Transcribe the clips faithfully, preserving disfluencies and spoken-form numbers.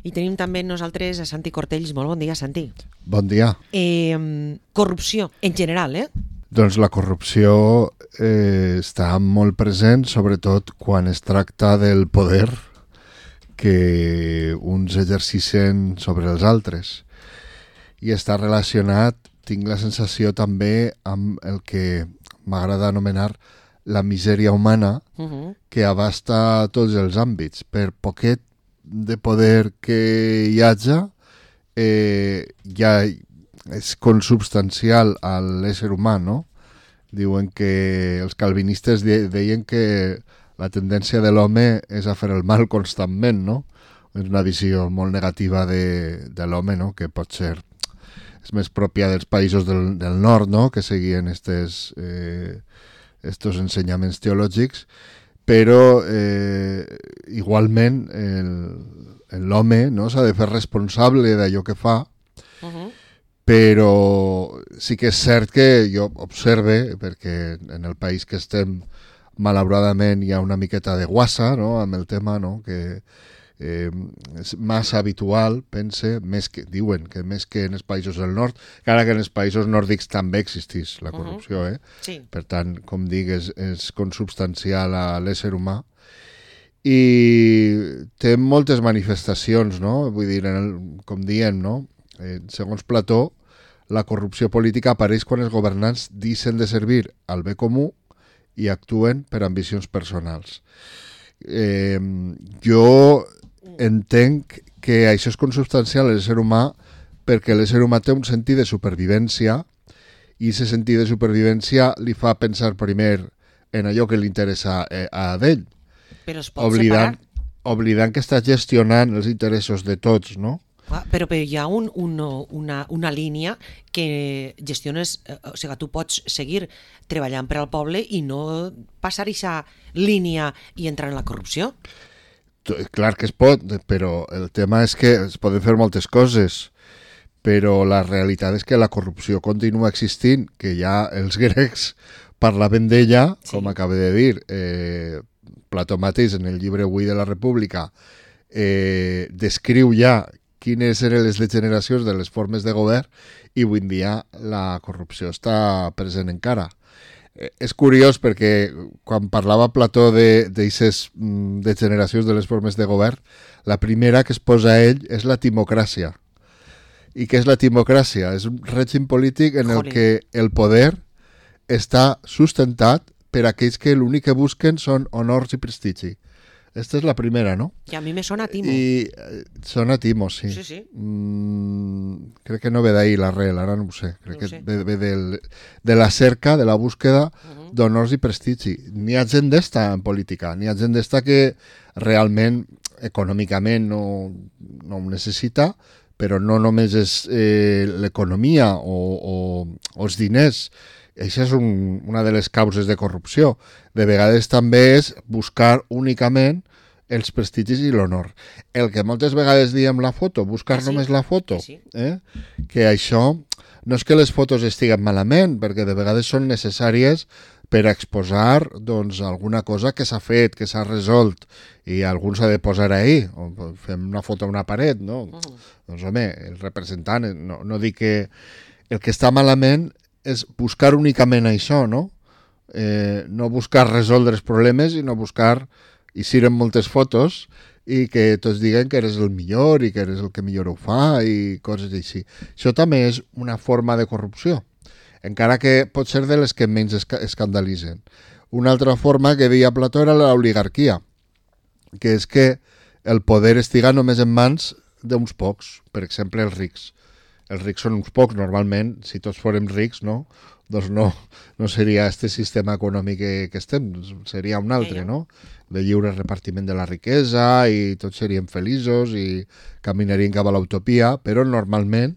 I tenim també nosaltres a Santi Cortells. Molt bon dia, Santi. Bon dia. Eh, corrupció, en general, eh? Doncs la corrupció eh, està molt present, sobretot quan es tracta del poder que uns exercicen sobre els altres. I està relacionat, tinc la sensació també, amb el que m'agrada anomenar la misèria humana, uh-huh. que abasta tots els àmbits. Per poquet de poder que hi haja, eh, ja és consubstancial a l'ésser humà, no? Diuen que els calvinistes de, deien que la tendència de l'home és a fer el mal constantment, no? És una visió molt negativa de, de l'home, no? Que pot ser és més pròpia dels països del, del nord, no? Que seguien estes, eh, estos ensenyaments teològics, però eh, igualment l'home, no? S'ha de fer responsable d'allò que fa, uh-huh. Però sí que és cert que jo observe, perquè en el país que estem malauradament hi ha una miqueta de guassa, no? Amb el tema, no? Que eh, és massa habitual, pense, més que, diuen que més que en els països del nord, encara que en els països nòrdics també existeix la corrupció, eh? Sí. Per tant, com dic, és, és consubstancial a l'ésser humà i té moltes manifestacions, no? Vull dir, en el, com diem, no? Eh, segons Plató, la corrupció política apareix quan els governants deixen de servir al bé comú i actuen per ambicions personals. Eh, jo entenc que això és consubstancial a l'ésser humà perquè l'ésser humà té un sentit de supervivència i aquest sentit de supervivència li fa pensar primer en allò que li interessa a d'ell, però es pot oblidant, separar. Oblidant que està gestionant els interessos de tots, no? Ah, però, però hi ha un, un, una, una línia que gestiones, o sigui, tu pots seguir treballant per al poble i no passar aquesta línia i entrar en la corrupció. Clar que es pot, però el tema és que es poden fer moltes coses, però la realitat és que la corrupció continua existint, que ja els grecs parlaven d'ella, sí. Com acabo de dir, eh, Plató mateix en el llibre Avui de la República eh, descriu ja quines eren les degeneracions de les formes de govern i avui en dia la corrupció està present encara. És curiós perquè quan parlava Plató d'aquestes degeneracions de les formes de govern, la primera que es posa a ell és la timocràcia. I què és la timocràcia? És un règim polític en el que el poder està sustentat per aquells que l'únic que busquen són honors i prestigi. Esta és la primera, no? I a mi me sona Timo. I eh, sona Timo, sí. Sí, sí. Mm, crec que no ve d'ahir l'arrel, ara no ho sé. Crec no que sé. ve, ve del, de la cerca, de la búsqueda uh-huh. d'honors i prestigi. N'hi ha gent d'esta en política, n'hi ha gent d'esta que realment econòmicament no, no ho necessita, però no només és eh, l'economia o, o, o els diners. Això és un, una de les causes de corrupció. De vegades també és buscar únicament els prestigis i l'honor. El que moltes vegades diem la foto, buscar ah, sí? només la foto, sí, sí. Eh? Que això no és que les fotos estiguen malament, perquè de vegades són necessàries per exposar doncs, alguna cosa que s'ha fet, que s'ha resolt, i algú s'ha de posar ahí, o fem una foto a una paret, no? Uh-huh. Doncs home, el representant, no, no dic que el que està malament és buscar únicament això, no? Eh, no buscar resoldre els problemes i no buscar, i siren moltes fotos i que tots diguen que eres el millor i que eres el que millor ho fa i coses així. Això també és una forma de corrupció, encara que pot ser de les que menys esca- escandalitzen. Una altra forma que deia Plató era l'oligarquia, que és que el poder estiga només en mans d'uns pocs, per exemple els rics. Els rics són uns pocs, normalment, si tots fórem rics, no? Doncs no, no seria este sistema econòmic que, que estem, seria un altre, no? De lliure repartiment de la riquesa i tots seríem feliços i caminarien cap a l'utopia, però normalment,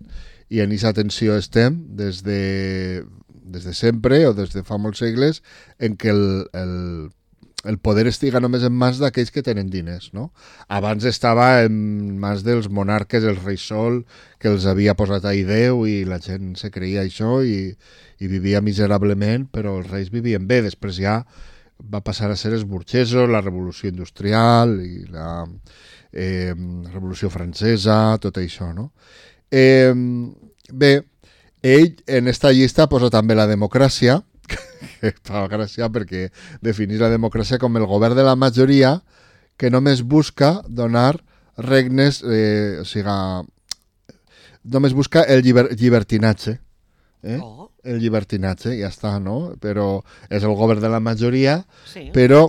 i en aquesta tensió estem des de, des de sempre o des de fa molts segles, en què el, el el poder estiga només en mans d'aquells que tenen diners, no? Abans estava en mans dels monarques, el rei Sol, que els havia posat ahí Déu i la gent se creia això i, i vivia miserablement, però els reis vivien bé. Després ja va passar a ser els burgesos, la revolució industrial i la, eh, Revolució Francesa, tot això, no? Eh, bé, ell en esta llista posa també la democràcia, que fa gràcia perquè definís la democràcia com el govern de la majoria que només busca donar regnes, eh, o sigui, només busca el lliber, llibertinatge. Eh? Oh. El llibertinatge, ja està, no? Però és el govern de la majoria, Sí. però,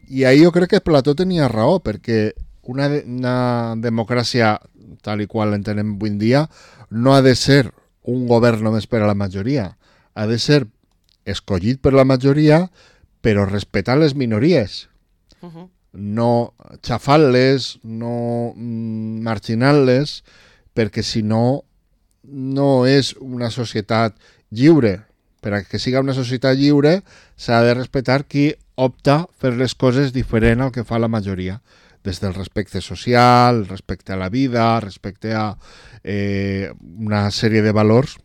i ahí jo crec que Plató tenia raó, perquè una, de, una democràcia tal i qual l'entenem avui en dia no ha de ser un govern només per a la majoria, ha de ser escollit per la majoria, però respectant les minories, Uh -huh. no xafant-les, no mm, marginant-les, perquè si no, no és una societat lliure. Per a que siga una societat lliure s'ha de respectar qui opta per les coses diferent al que fa la majoria, des del respecte social, respecte a la vida, respecte a eh, una sèrie de valors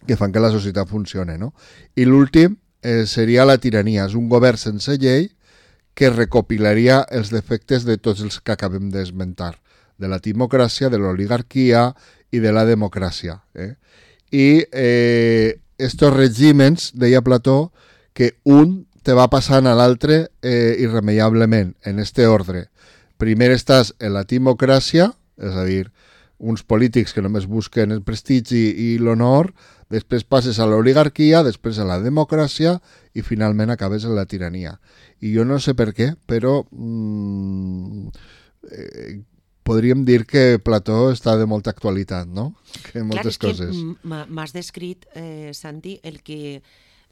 que fan que la societat funcione, no? I l'últim eh, seria la tirania. És un govern sense llei que recopilaria els defectes de tots els que acabem d'esmentar, de la timocràcia, de l'oligarquia i de la democràcia. Eh? I eh, estos regímens, deia Plató, que un te va passant a l'altre eh, irremeiablement, en este ordre. Primer estàs en la timocràcia, és a dir, uns polítics que només busquen el prestigi i l'honor, després passes a l'oligarquia, després a la democràcia i finalment acabes en la tirania. I jo no sé per què, però mmm, eh, podríem dir que Plató està de molta actualitat, no? Que moltes Clar, coses. És que m'has descrit, eh, Santi, el que,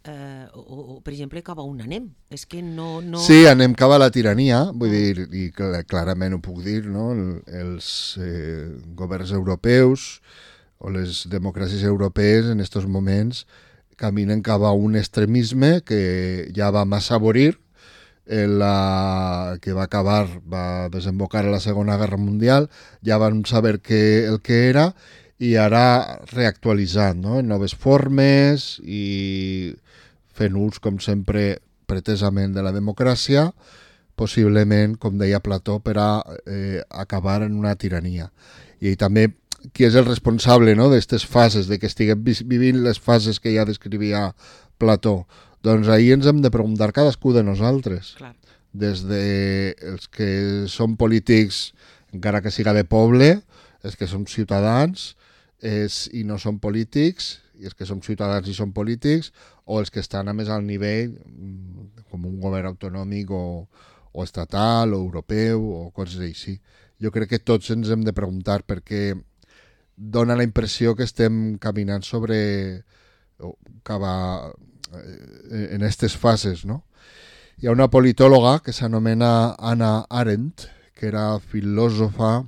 eh, o, o, per exemple, cap a on anem. És que no... no... Sí, anem cap a la tirania, vull dir, i clarament ho puc dir, no? El, els eh, governs europeus o les democràcies europees en aquests moments caminen cap a un extremisme que ja va massa aborir, la, que va acabar, va desembocar a la Segona Guerra Mundial, ja van saber que, el que era i ara reactualitzant, no? En noves formes i fent ús, com sempre, pretesament de la democràcia, possiblement, com deia Plató, per a eh, acabar en una tirania. I també qui és el responsable, no?, d'aquestes fases, de que estiguem vivint les fases que ja descrivia Plató. Doncs ahir ens hem de preguntar cadascú de nosaltres. Clar. Des de els que són polítics, encara que siga de poble, els que som ciutadans és, i no són polítics, i els que som ciutadans i són polítics, o els que estan a més al nivell, com un govern autonòmic o, o estatal o europeu o coses així. Jo crec que tots ens hem de preguntar perquè dona la impressió que estem caminant sobre cap a, en aquestes fases, no? Hi ha una politòloga que s'anomena Hannah Arendt, que era filòsofa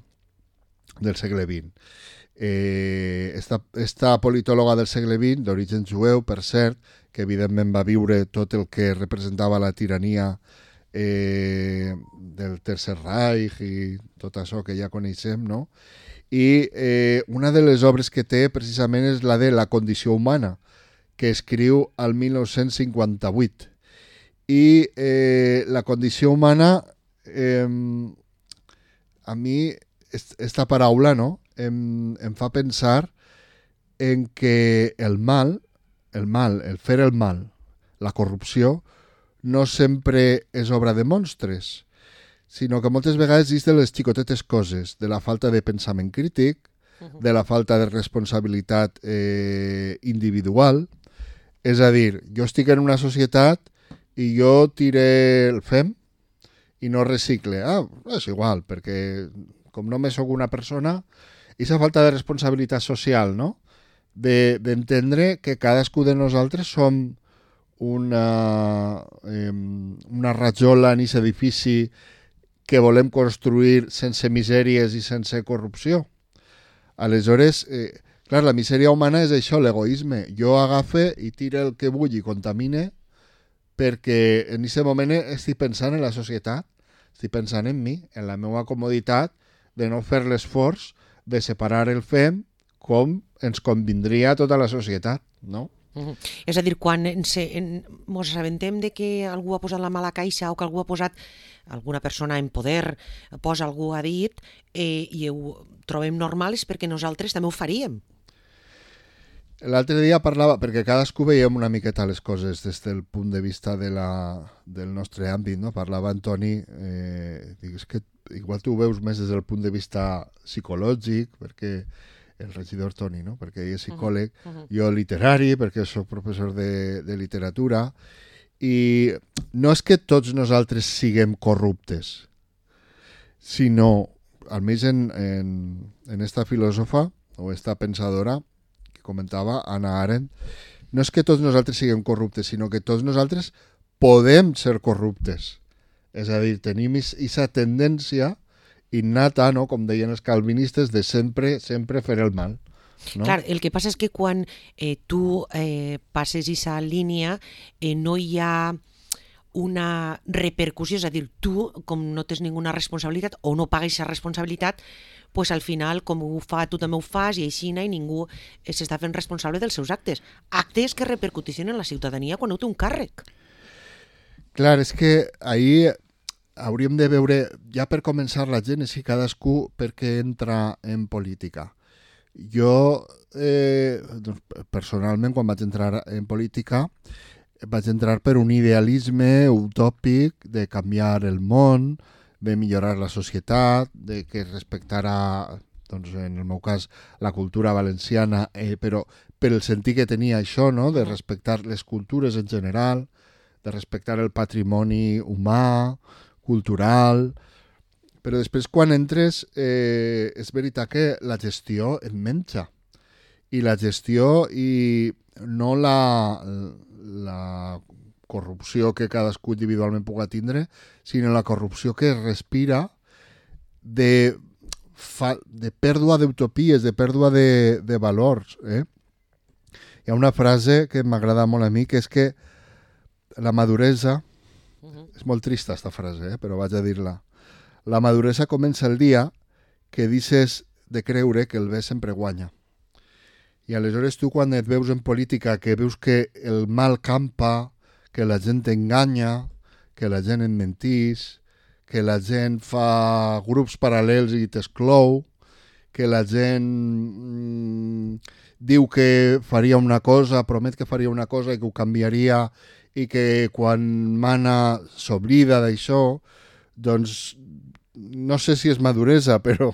del segle vint. Eh, esta, esta politòloga del segle vint, d'origen jueu, per cert, que evidentment va viure tot el que representava la tirania eh, del Tercer Reich i tot això que ja coneixem, no? I eh, una de les obres que té precisament és la de La condició humana, que escriu al mil nou-cents cinquanta-vuit. I eh, la condició humana, eh, a mi, esta paraula, no?, em, em fa pensar en que el mal, el mal, el fer el mal, la corrupció, no sempre és obra de monstres, sinó que moltes vegades és de les xicotetes coses, de la falta de pensament crític, de la falta de responsabilitat eh, individual. És a dir, jo estic en una societat i jo tire el fem i no recicle. Ah, és igual, perquè com només sóc una persona, aquesta falta de responsabilitat social, no? De, d'entendre que cadascú de nosaltres som una, eh, una rajola en aquest edifici que volem construir sense misèries i sense corrupció. Aleshores, eh, clar, la misèria humana és això, l'egoisme. Jo agafe i tire el que vull i contamine perquè en aquest moment estic pensant en la societat, estic pensant en mi, en la meva comoditat de no fer l'esforç de separar el fem com ens convindria a tota la societat, no? Uh -huh. És a dir, quan ens, en, ens assabentem de que algú ha posat la mà a la caixa o que algú ha posat, alguna persona en poder posa algú ha dit eh, i ho trobem normal és perquè nosaltres també ho faríem. L'altre dia parlava, perquè cadascú veiem una miqueta les coses des del punt de vista de la, del nostre àmbit, no? Parlava Antoni, eh, dic, és que igual tu ho veus més des del punt de vista psicològic, perquè el regidor Toni, no? Perquè ell és psicòleg, uh -huh. jo literari, perquè sóc professor de, de literatura, i no és que tots nosaltres siguem corruptes, sinó, almenys en, en, en esta filòsofa o esta pensadora que comentava, Hannah Arendt, no és que tots nosaltres siguem corruptes, sinó que tots nosaltres podem ser corruptes. És a dir, tenim aquesta tendència innata, no? Com deien els calvinistes, de sempre, sempre fer el mal. No? Clar, el que passa és que quan eh, tu eh, passes aquesta línia eh, no hi ha una repercussió, és a dir, tu, com no tens ninguna responsabilitat o no pagues aquesta responsabilitat, pues al final, com ho fa, tu també ho fas i així i ningú s'està fent responsable dels seus actes. Actes que repercuteixen en la ciutadania quan no té un càrrec. Clar, és que ahir hauríem de veure, ja per començar, la gent, si cadascú per què entra en política. Jo, eh, doncs, personalment, quan vaig entrar en política, vaig entrar per un idealisme utòpic de canviar el món, de millorar la societat, de que respectara, doncs, en el meu cas, la cultura valenciana, eh, però per el sentit que tenia això, no? De respectar les cultures en general, de respectar el patrimoni humà, cultural, però després quan entres eh, és veritat que la gestió et menja, i la gestió i no la, la corrupció que cadascú individualment pugui tindre, sinó la corrupció que es respira de, fa, de pèrdua d'utopies, de pèrdua de, de valors. Eh? Hi ha una frase que m'agrada molt a mi, que és que la maduresa, és molt trista esta frase, eh? Però vaig a dir-la. La maduresa comença el dia que deixes de creure que el bé sempre guanya. I aleshores tu, quan et veus en política, que veus que el mal campa, que la gent t'enganya, que la gent et mentís, que la gent fa grups paral·lels i t'exclou, que la gent mmm, diu que faria una cosa, promet que faria una cosa i que ho canviaria, i que quan mana s'oblida d'això, doncs no sé si és maduresa, però,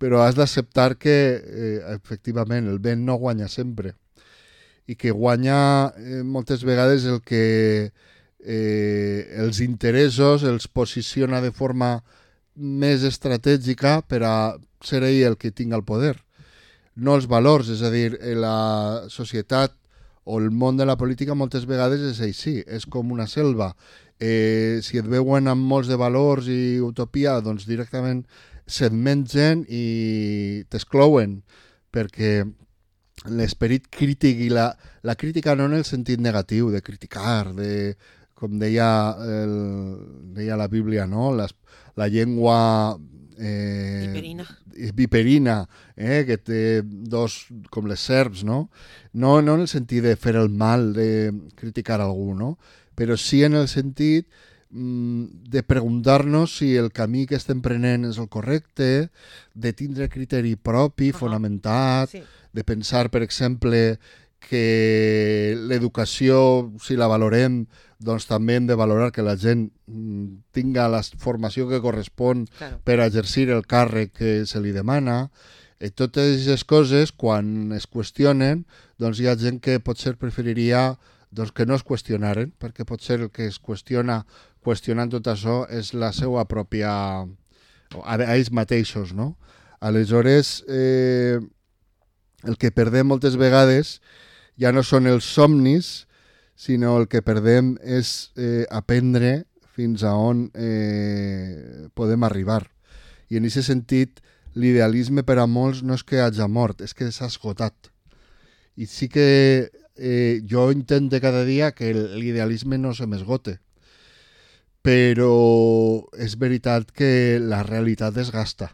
però has d'acceptar que eh, efectivament el vent no guanya sempre i que guanya eh, moltes vegades el que eh, els interessos els posiciona de forma més estratègica per a ser ell el que tinga el poder. No els valors, és a dir, la societat o el món de la política moltes vegades és així, és com una selva. Eh, si et veuen amb molts de valors i utopia, doncs directament se't mengen i t'exclouen, perquè l'esperit crític i la, la crítica no en el sentit negatiu, de criticar, de, com deia, el, deia la Bíblia, no? Les, la llengua eh, viperina, viperina eh, que té dos, com les serps, no? No, no en el sentit de fer el mal, de criticar algú, no? Però sí en el sentit mm, de preguntar-nos si el camí que estem prenent és el correcte, de tindre criteri propi, uh-huh. fonamentat, sí. De pensar, per exemple, que l'educació, si la valorem, doncs també hem de valorar que la gent tinga la formació que correspon claro. Per exercir el càrrec que se li demana. I totes aquestes coses, quan es qüestionen, doncs hi ha gent que potser preferiria doncs, que no es qüestionaren, perquè potser el que es qüestiona qüestionant tot això és la seva pròpia... a ells mateixos, no? Aleshores, eh, el que perdem moltes vegades ja no són els somnis, sinó el que perdem és eh, aprendre fins a on eh, podem arribar. I en aquest sentit, l'idealisme per a molts no és que hagi mort, és que s'ha esgotat. I sí que eh, jo intento cada dia que l'idealisme no se m'esgote, però és veritat que la realitat desgasta.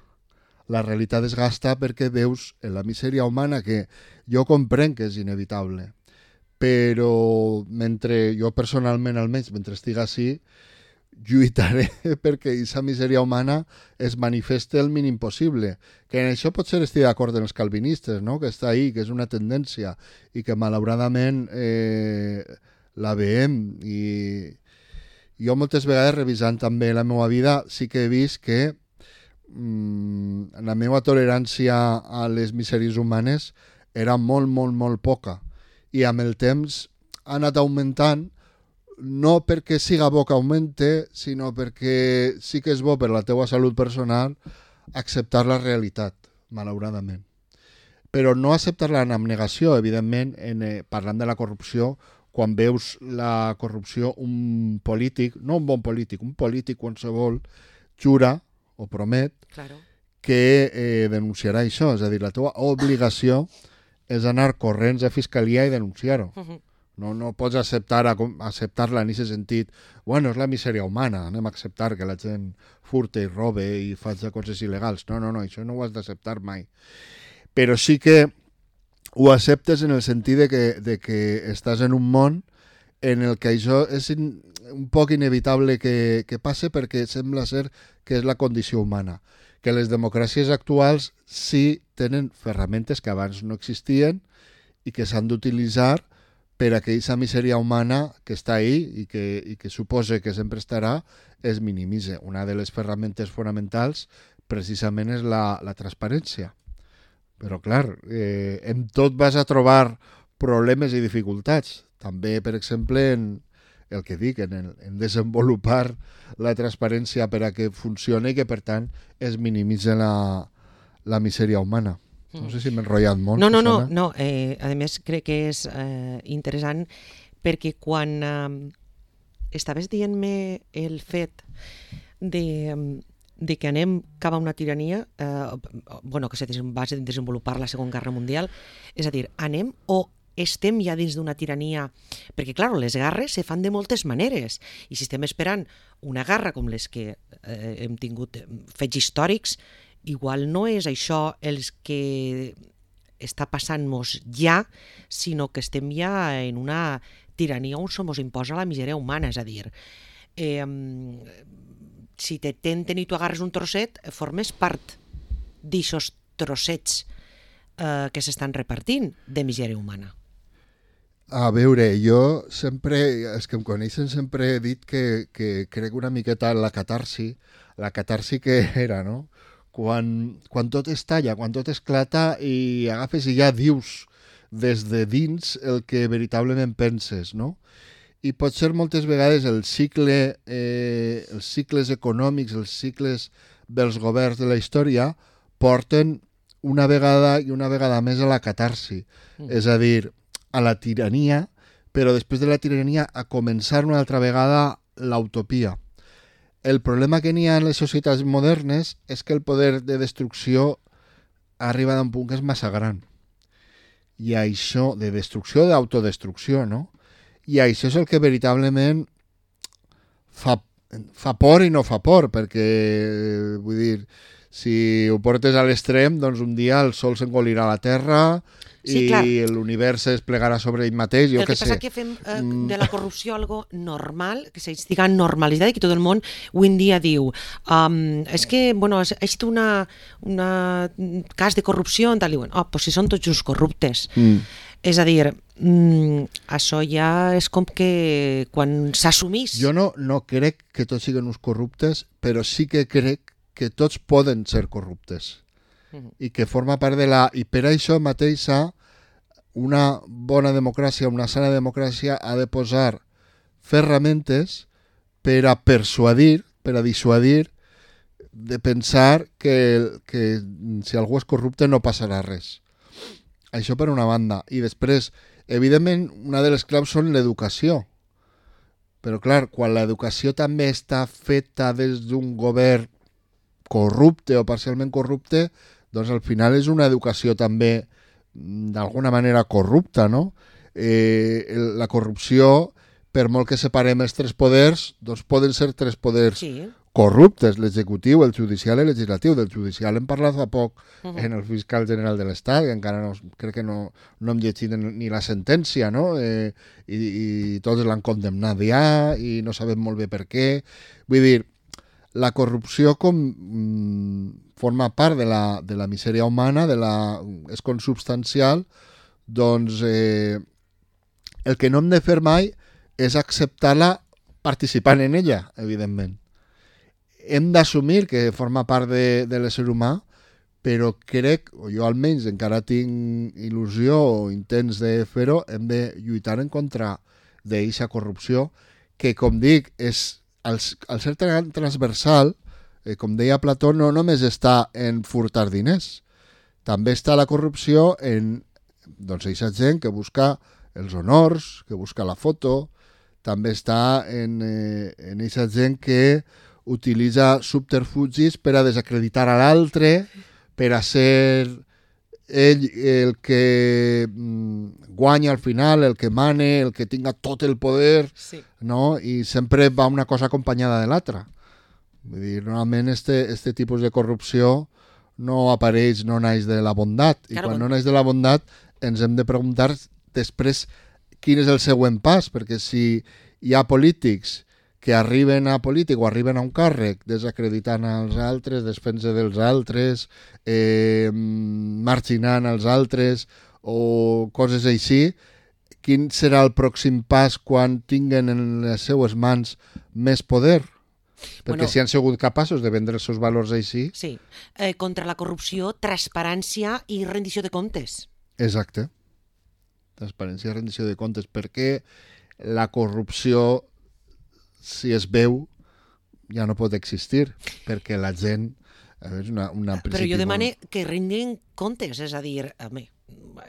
La realitat desgasta perquè veus en la misèria humana, que jo comprenc que és inevitable, però mentre jo personalment, almenys, mentre estic així, lluitaré perquè aquesta misèria humana es manifeste el mínim possible. Que en això potser estic d'acord amb els calvinistes, no? Que està ahí, que és una tendència i que malauradament eh, la veiem. I jo moltes vegades, revisant també la meva vida, sí que he vist que mmm, la meva tolerància a les misèries humanes era molt, molt, molt poca. I amb el temps ha anat augmentant, no perquè siga bo que augmente, sinó perquè sí que és bo per la teua salut personal acceptar la realitat, malauradament. Però no acceptar-la en abnegació, evidentment, en, eh, parlant de la corrupció, quan veus la corrupció, un polític, no un bon polític, un polític qualsevol, jura o promet Claro. que eh, denunciarà això. És a dir, la teva obligació és anar corrents a fiscalia i denunciar-ho. Uh -huh. No, no pots acceptar acceptar-la en aquest sentit. Bueno, és la misèria humana, anem a acceptar que la gent furte i robe i faci coses il·legals. No, no, no, això no ho has d'acceptar mai. Però sí que ho acceptes en el sentit de que, de que estàs en un món en el que això és in, un poc inevitable que, que passe perquè sembla ser que és la condició humana. Que les democràcies actuals sí tenen ferramentes que abans no existien i que s'han d'utilitzar per a que aquesta misèria humana que està ahí i que, i que suposa que sempre estarà es minimitze. Una de les ferramentes fonamentals precisament és la, la transparència. Però clar, eh, en tot vas a trobar problemes i dificultats. També, per exemple, en el que dic, en, el, en desenvolupar la transparència per a que funcioni i que, per tant, es minimitze la, la misèria humana. No sé si m'he enrotllat molt. No, no, no, no. Eh, a més crec que és eh, interessant perquè quan eh, estaves dient-me el fet de, de que anem cap a una tirania, eh, bueno, que se va desenvolupar la Segona Guerra Mundial, és a dir, anem o estem ja dins d'una tirania, perquè, clar, les guerres se fan de moltes maneres, i si estem esperant una guerra com les que eh, hem tingut fets històrics, igual no és això els que està passant-nos ja, sinó que estem ja en una tirania on se mos imposa la misèria humana, és a dir, eh, si te tenten i tu agarres un trosset, formes part d'aixòs trossets eh, que s'estan repartint de misèria humana. A veure, jo sempre, els que em coneixen sempre he dit que, que crec una miqueta en la catarsi, la catarsi que era, no? Quan, quan tot estalla, quan tot esclata i agafes i ja dius des de dins el que veritablement penses, no? I potser moltes vegades el cicle, eh, els cicles econòmics, els cicles dels governs de la història porten una vegada i una vegada més a la catarsi, mm. és a dir, a la tirania, però després de la tirania a començar una altra vegada l'utopia. El problema que n'hi ha en les societats modernes és que el poder de destrucció arriba a un punt que és massa gran. I això, de destrucció, d'autodestrucció, no? I això és el que veritablement fa, fa por i no fa por, perquè, vull dir, si ho portes a l'extrem, doncs un dia el sol s'engolirà a la terra sí, i l'univers es plegarà sobre ell mateix, jo el que, que sé. El que passa que fem eh, de la corrupció algo normal, que s'estiga normalitzada i que tot el món avui en dia diu um, és que, bueno, ha estat una, una cas de corrupció, tal, i diuen, oh, pues si són tots uns corruptes. Mm. És a dir, mm, això ja és com que quan s'assumís... Jo no, no crec que tots siguin uns corruptes, però sí que crec que tots poden ser corruptes. Uh-huh. I que forma part de la... I per això mateixa una bona democràcia, una sana democràcia ha de posar ferramentes per a persuadir, per a dissuadir de pensar que, que si algú és corrupte no passarà res. Això per una banda. I després, evidentment, una de les claus són l'educació. Però clar, quan l'educació també està feta des d'un govern corrupte o parcialment corrupte, doncs al final és una educació també d'alguna manera corrupta, no? Eh, la corrupció, per molt que separem els tres poders, doncs poden ser tres poders sí. corruptes, l'executiu, el judicial i el legislatiu. Del judicial hem parlat fa poc uh -huh. en el fiscal general de l'Estat, que encara no, crec que no, no hem llegit ni la sentència, no? Eh, i, i tots l'han condemnat ja i no sabem molt bé per què. Vull dir, la corrupció com mm, forma part de la, de la misèria humana, de la, és consubstancial, doncs eh, el que no hem de fer mai és acceptar-la participant en ella, evidentment. Hem d'assumir que forma part de, de l'ésser humà, però crec, o jo almenys encara tinc il·lusió o intents de fer-ho, hem de lluitar en contra d'aquesta corrupció, que, com dic, és, al, al ser transversal, eh, com deia Plató, no només està en furtar diners, també està la corrupció en doncs, aquesta gent que busca els honors, que busca la foto, també està en, eh, en aquesta gent que utilitza subterfugis per a desacreditar a l'altre, per a ser ell el que mm, guanya al final, el que mane, el que tinga tot el poder, sí. No? I sempre va una cosa acompanyada de l'altra. Vull dir, normalment este, este tipus de corrupció no apareix, no naix de la bondat, i claro, quan no naix de la bondat ens hem de preguntar després quin és el següent pas, perquè si hi ha polítics que arriben a polític o arriben a un càrrec desacreditant els altres, desfent-se dels altres, eh, marginant els altres o coses així, quin serà el pròxim pas quan tinguen en les seues mans més poder? Perquè bueno, si han sigut capaços de vendre els seus valors així... Sí, eh, contra la corrupció, transparència i rendició de comptes. Exacte. Transparència i rendició de comptes. Perquè la corrupció, si es veu, ja no pot existir, perquè la gent... És una, una Però jo demane molt... que rendin comptes, és a dir, home,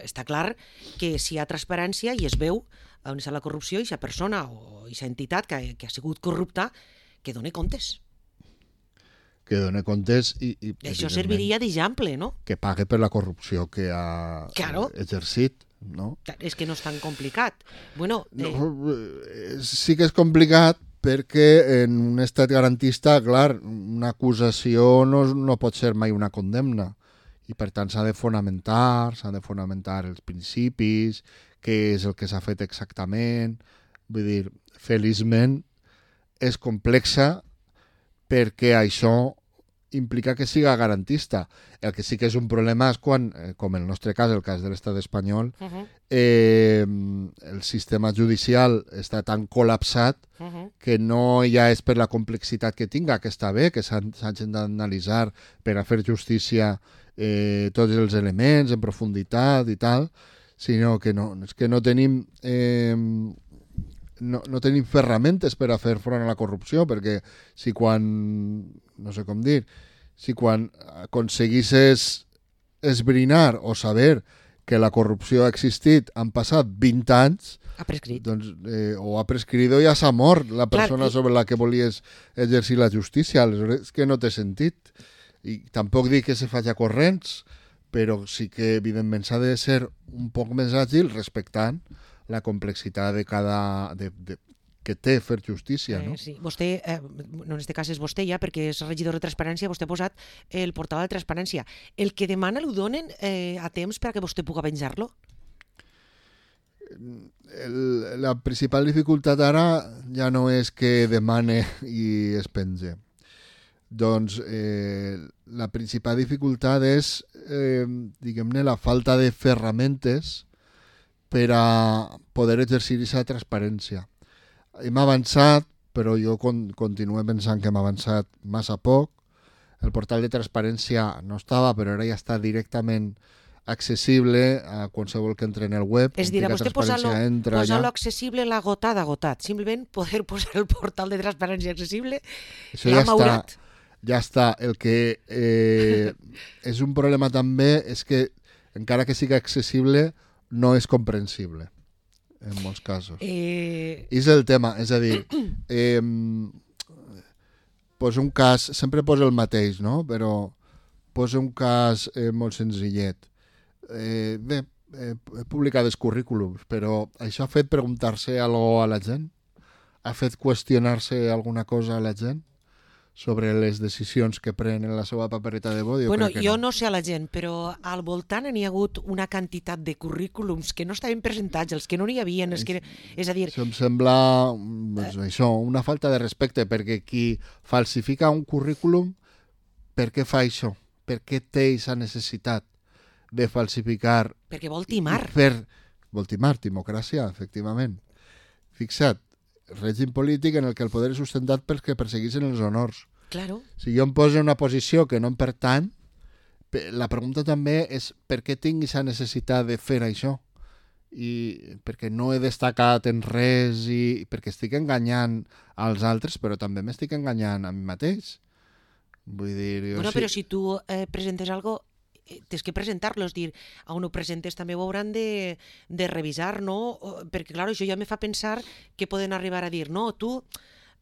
està clar que si hi ha transparència i es veu on està la corrupció, i aquesta persona o aquesta entitat que, que ha sigut corrupta, que doni comptes. Que doni comptes i... i això serviria d'exemple, no? Que pague per la corrupció que ha claro. exercit, no? És que no és tan complicat. Bueno, eh... no, sí que és complicat perquè en un estat garantista, clar, una acusació no, no pot ser mai una condemna. I per tant s'ha de fonamentar, s'han de fonamentar els principis, què és el que s'ha fet exactament. Vull dir, feliçment és complexa perquè això implica que siga garantista. El que sí que és un problema és quan, com en el nostre cas, el cas de l'estat espanyol, uh-huh. eh, el sistema judicial està tan col·lapsat uh-huh. que no ja és per la complexitat que tinga, que està bé, que s'hagin d'analitzar per a fer justícia eh, tots els elements en profunditat i tal, sinó que no, és que no tenim... Eh, No, no tenim ferramentes per a fer front a la corrupció, perquè si quan, no sé com dir, si quan aconseguisses esbrinar o saber que la corrupció ha existit han passat vint anys, ha prescrit. Doncs, eh, o ha prescrit o ja s'ha mort la persona Clar, i... sobre la que volies exercir la justícia, aleshores és que no té sentit. I tampoc dic que se faci a corrents, però sí que evidentment s'ha de ser un poc més àgil respectant la complexitat de cada... De, de, que té fer justícia, no? Eh, sí. Vostè, eh, no en aquest cas és vostè ja, perquè és regidor de transparència, vostè ha posat el portal de transparència. El que demana l'ho donen eh, a temps perquè vostè pugui penjar-lo? El, la principal dificultat ara ja no és que demane i es penge. Doncs eh, la principal dificultat és, eh, diguem-ne, la falta de ferramentes per a poder exercir aquesta transparència. Hem avançat, però jo con continuo pensant que hem avançat massa poc. El portal de transparència no estava, però ara ja està directament accessible a qualsevol que entre en el web. És dir, a vostè posar-lo posa accessible l'ha agotat, agotat. Simplement poder posar el portal de transparència accessible l'ha ja maurat. Està, ja està. El que eh, és un problema també és que, encara que sigui accessible, no és comprensible, en molts casos. Eh... I és el tema, és a dir, eh, posa un cas, sempre posa el mateix, no? Però posa un cas eh, molt senzillet. Eh, bé, eh, he publicat els currículums, però això ha fet preguntar-se alguna cosa a la gent? Ha fet qüestionar-se alguna cosa a la gent? sobre les decisions que pren en la seva papereta de vot? Jo bueno, crec que jo no. no sé a la gent, però al voltant n'hi ha hagut una quantitat de currículums que no estaven presentats, els que no n'hi havia, els que... és a dir... Això em sembla doncs, això, una falta de respecte, perquè qui falsifica un currículum, per què fa això? Per què té aquesta necessitat de falsificar? Perquè vol timar. Per... Vol timar, democràcia, efectivament. Fixa't, règim polític en el que el poder és sustentat pels que persegueixen els honors. Claro. Si jo em poso en una posició que no em pertany, la pregunta també és per què tinc aquesta necessitat de fer això? I perquè no he destacat en res i perquè estic enganyant als altres, però també m'estic enganyant a mi mateix. Vull dir... Jo Bueno, sí... però si tu eh, presentes algo, eh, tens que presentar-lo, és dir, a on ho presentes també ho hauran de, de revisar, no? O, perquè, clar, això ja me fa pensar que poden arribar a dir, no, tu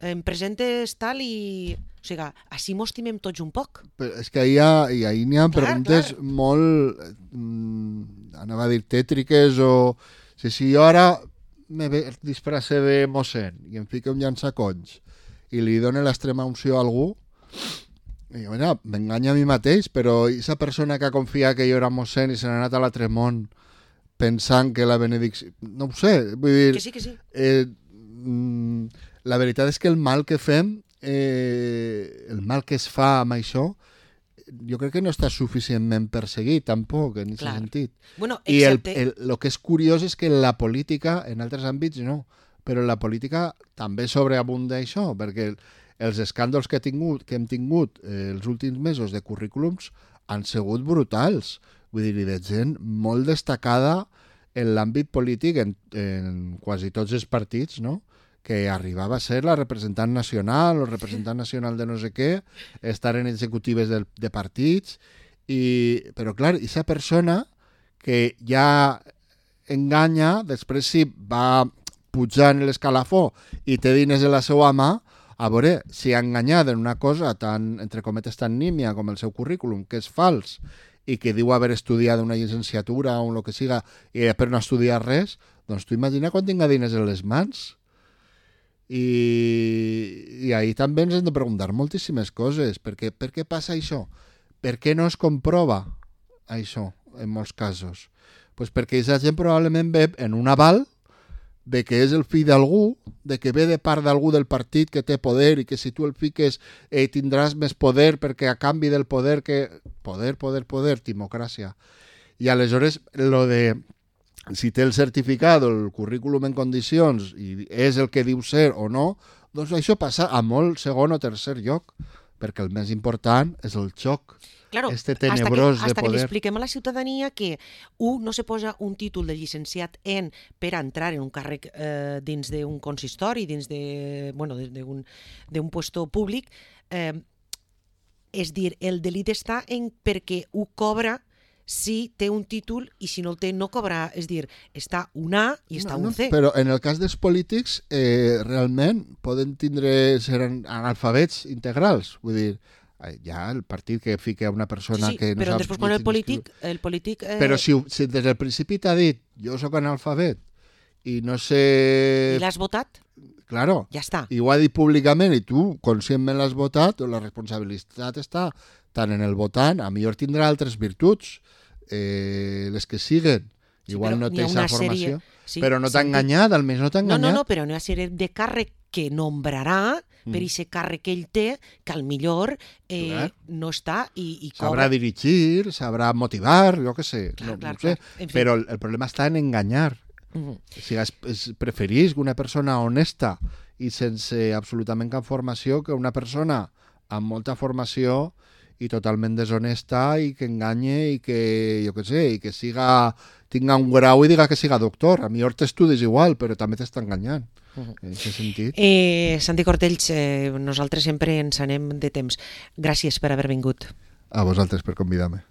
em presentes tal i... O sigui, així mos timem tots un poc. Però és que ahí, ha, i ahí n'hi ha Clar, preguntes clar. molt, mm, anava a dir, tètriques o... Si, si jo ara me ve- disfrace de mossèn i em fico un llançaconys i li dono l'extrema unció a algú, i, bueno, m'enganya a mi mateix, però aquesta persona que ha confiat que jo era mossèn i se n'ha anat a l'altre món pensant que la benedicció... No ho sé, vull dir... Que sí, que sí. Eh, mm, la veritat és que el mal que fem, eh, el mal que es fa amb això, jo crec que no està suficientment perseguit, tampoc, en aquest Clar. sentit. Bueno, I el, excepte... el, el que és curiós és que la política, en altres àmbits no, però la política també sobreabunda això, perquè els escàndols que, he tingut, que hem tingut eh, els últims mesos de currículums han sigut brutals. Vull dir, de gent molt destacada en l'àmbit polític, en, en quasi tots els partits, no?, que arribava a ser la representant nacional o representant nacional de no sé què, estar en executives de, de partits, i, però clar, aquesta persona que ja enganya, després si va pujant l'escalafó i té diners en la seva mà, a veure, si ha enganyat en una cosa tan, entre cometes, tan nímia com el seu currículum, que és fals, i que diu haver estudiat una llicenciatura o el que siga, i després no ha estudiat res, doncs tu imagina quan tinga diners en les mans. I, i ahí també ens hem de preguntar moltíssimes coses. Per què, per què passa això? Per què no es comprova això en molts casos? Pues perquè aquesta gent probablement ve en un aval de que és el fill d'algú, de que ve de part d'algú del partit que té poder i que si tu el fiques eh, tindràs més poder perquè a canvi del poder que... Poder, poder, poder, democràcia. I aleshores lo de... si té el certificat o el currículum en condicions i és el que diu ser o no, doncs això passa a molt segon o tercer lloc, perquè el més important és el xoc, Claro, este hasta que, tenebrós de hasta que li poder. expliquem a la ciutadania que un no se posa un títol de llicenciat en per a entrar en un càrrec eh, dins d'un consistori, dins de, bueno, d'un d'un puesto públic, eh, és dir, el delit està en perquè ho cobra si té un títol i si no el té no cobra, és dir, està un A i està No, un no, C. però en el cas dels polítics eh, realment poden tindre ser analfabets integrals, vull dir, ja el partit que fica una persona sí, sí, que no però sap després quan el llegir ni polític, escriure. el polític eh, Però si, si des del principi t'ha dit jo sóc analfabet i no sé... i l'has votat, Claro, ja està. i ho ha dit públicament i tu conscientment l'has votat, la responsabilitat està tant en el votant, a millor tindrà altres virtuts, eh, les que siguen. Sí, Igual però no n'hi té ha aquesta una formació, sèrie- sí, però no t'ha sentit. enganyat, almenys no t'ha No, enganyat. no, no, però n'hi ha una sèrie de càrrec que nombrarà per aquest càrrec que ell té, que al millor eh, Clar. no està i, i Sabrà cobra. dirigir, sabrà motivar, jo què sé, Clar, no, clar, no sé. clar. En fi. Però el, el problema està en enganyar. Mhm. Si es, es preferís una persona honesta i sense absolutament cap formació que una persona amb molta formació i totalment deshonesta i que enganye i que, jo què sé, i que siga, tinga un grau i diga que siga doctor. A millor t'estudis igual, però també t'està enganyant. Mhm. En aquest sentit. Eh, Santi Cortells, eh, nosaltres sempre ens anem de temps. Gràcies per haver vingut. A vosaltres per convidar-me.